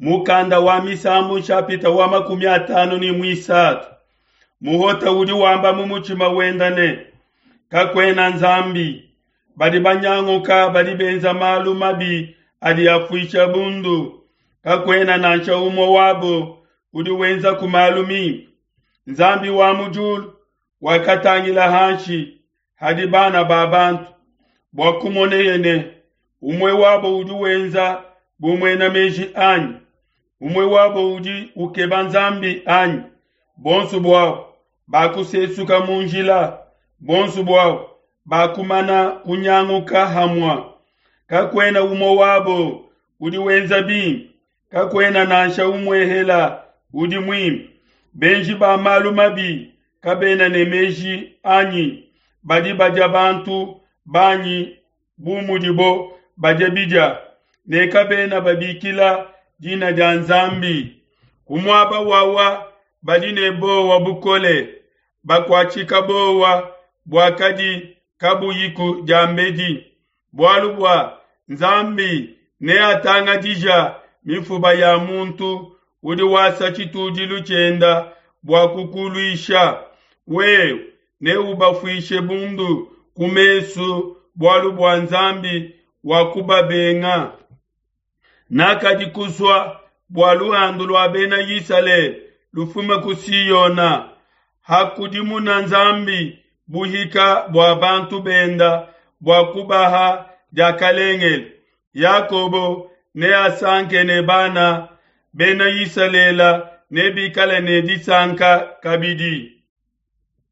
Mukanda wa Misambu nshapita wa 53. Muhota udi wamba mu mutshima wenda ne, kakuena Nzambi. Badi banyanguka badi benza malu mabi adi afuisha bundu. Kakuena nansha umue wabo udi wenza ku malu mimpe. Nzambi wa mu diulu wakatangila hanshi hadi bana ba bantu bua kumoneye ne umue wabo udi wenza bu muena meji anyi, umue wabo udi ukeba Nzambi anyi. Bonso buabo bakusesuka mu njila, bonso buabo bakumana kunyanguka hamua. Kakuena umue wabo udi wenza bimpe, kakuena nansha umuehela udi muimpe. Benji ba malu mabi kabena ne meji anyi, badi badia bantu banyi bu mudibo badia bidia, ne kabena babikila dina dia Nzambi. Ku muaba wawa badi ne bowa bukole, bakuatshika bowa buakadi kabuyiku diambedi. Bualu bua Nzambi neatangadija mifuba ya muntu udi wasa tshitudilu tshienda bua kukuluisha. Wewe neubafuishe bundu ku mesu bualu bua Nzambi wakubabenga. Nakadi kusua bua luhandu lua bena Isalele lufume ku Siona. Hakudimuna Nzambi buhika bua bantu benda bua kubaha diakalengele, Yakobo neasanke ne bana bena Isalele nebikale ne disanka kabidi.